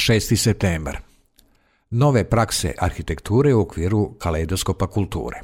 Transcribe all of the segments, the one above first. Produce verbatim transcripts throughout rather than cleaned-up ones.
šesti septembar. Nove prakse arhitekture u okviru kaleidoskopa kulture.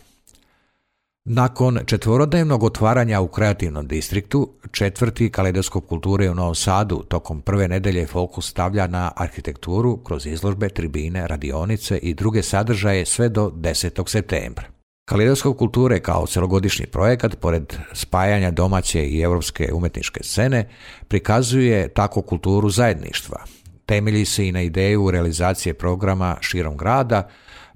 Nakon četvorodnevnog otvaranja u kreativnom distriktu, četvrti kaleidoskop kulture u Novom Sadu tokom prve nedelje fokus stavlja na arhitekturu kroz izložbe, tribine, radionice i druge sadržaje sve do desetog septembra. Kaleidoskop kulture kao celogodišnji projekat, pored spajanja domaće i europske umetničke scene, prikazuje tako kulturu zajedništva. Temelji se i na ideju realizacije programa širom grada,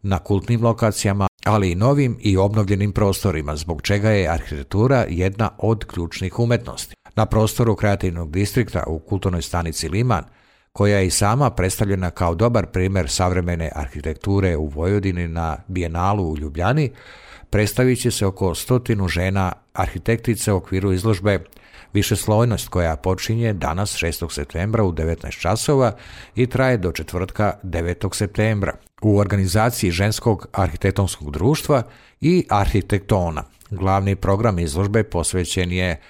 na kultnim lokacijama, ali i novim i obnovljenim prostorima, zbog čega je arhitektura jedna od ključnih umetnosti. Na prostoru kreativnog distrikta u kulturnoj stanici Liman, koja je i sama predstavljena kao dobar primjer savremene arhitekture u Vojvodini na Bijenalu u Ljubljani, predstavit će se oko stotinu žena arhitektice u okviru izložbe Višeslojnost, koja počinje danas šestog septembra u devetnaest časova i traje do četvrtka devetog septembra u organizaciji Ženskog arhitektonskog društva i Arhitektona. Glavni program izložbe posvećen je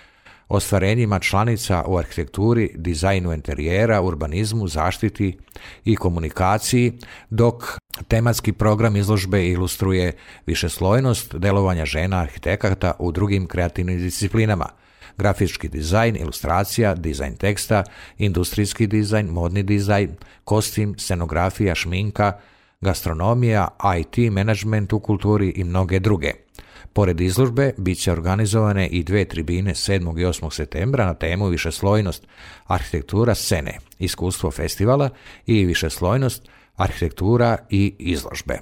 ostvarenjima članica u arhitekturi, dizajnu interijera, urbanizmu, zaštiti i komunikaciji, dok tematski program izložbe ilustruje višeslojnost delovanja žena arhitekata u drugim kreativnim disciplinama: grafički dizajn, ilustracija, dizajn teksta, industrijski dizajn, modni dizajn, kostim, scenografija, šminka, gastronomija, I T, menadžment u kulturi i mnoge druge. Pored izložbe bit će organizovane i dve tribine sedmog i osmog septembra na temu višeslojnost arhitektura scene, iskustvo festivala i višeslojnost arhitektura i izložbe.